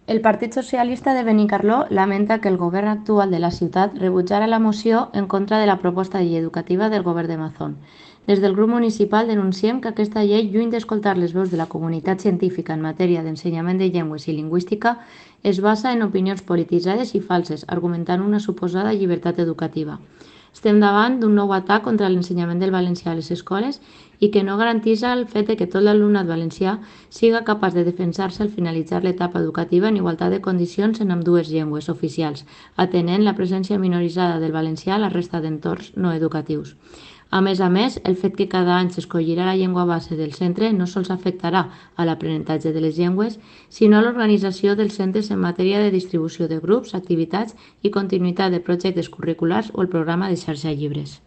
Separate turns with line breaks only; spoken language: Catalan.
El Partit Socialista de Benicarló lamenta que el govern actual de la ciutat rebutjara la moció en contra de la proposta de llei educativa del govern de Mazón. Des del grup municipal denunciem que aquesta llei, lluny d'escoltar les veus de la comunitat científica en matèria d'ensenyament de llengües i lingüística, es basa en opinions polititzades i falses, argumentant una suposada llibertat educativa. Estem davant d'un nou atac contra l'ensenyament del valencià a les escoles i que no garanteix el fet que tot l'alumnat valencià siga capaç de defensar-se al finalitzar l'etapa educativa en igualtat de condicions en ambdues llengües oficials, atenent la presència minoritzada del valencià a la resta d'entorns no educatius. A més, el fet que cada any s'escollirà la llengua base del centre no sols afectarà a l'aprenentatge de les llengües, sinó a l'organització dels centres en matèria de distribució de grups, activitats i continuïtat de projectes curriculars o el programa de xarxa llibres.